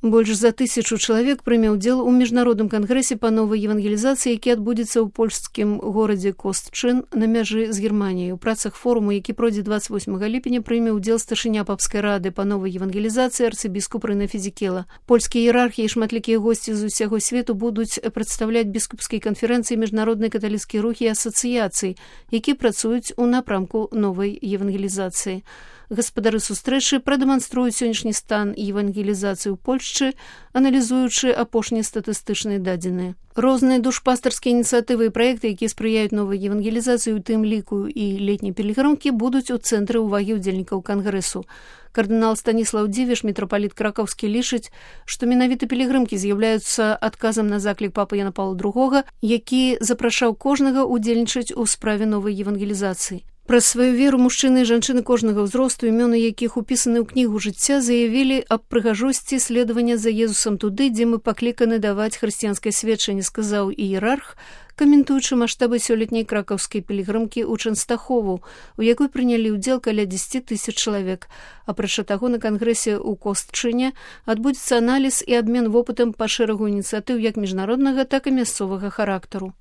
Больш за 1000 чалавек прыме ўдзел у міжнародным кангрэсе па новай евангелізацыі, які адбудзецца ў польскім горадзе Костчын на мяжы з Германіяй. У працах форуму, які пройдзе 28 ліпеня, прыме ўдзел старшыня папскай рады па новай евангелізацыі арцыбіскуп Рэнэ Фізікела. Польскія іерархі і шматлікія госці з усяго свету будуць прадстаўляць біскупскай канферэнцыі міжнароднай каталіцкія рухі і асацыяцыі, які працуюць у напрамку новай евангелізацыі. Гаспадары сустрэчы прадэманструюць сённяшні стан евангелізацыі ў Польшчы, аналізуючы апошнія статыстычныя дадзеныя. Розныя душпастарскія ініцыятывы і праекты, якія спрыяюць новай евангелізацыі, у тым ліку і летняй пілігрымкі, будуць у цэнтры ўвагі ўдзельнікаў кангрэсу. Кардынал Станіслаў Дзівіш, мітрапаліт кракаўскі, лічыць, што менавіта пілігрымкі з'яўляюцца адказам на заклік папы Яна Паўла II, які запрашаў кожнага ўдзельнічаць у справе новай евангелізацыі. Праз сваю веру мужчыны і жанчыны кожнага ўзросту, імёны якіх упісаны ў кнігу жыцця, заявілі аб прыгажосці следавання за Езусам туды, дзе мы пакліканы даваць хрысціянскае сведчанне, сказаў іерарх, каментуючы маштабы сёлетняй кракаўскай пілігрымкі ў Чэнстахову, у якой прынялі ўдзел каля 10 000 чалавек. Апрача таго, на кангрэсе ў Костчыне адбудзецца аналіз і абмен вопытам па шэрагу ініцыятыў як міжнароднага, так і мясцовага характару.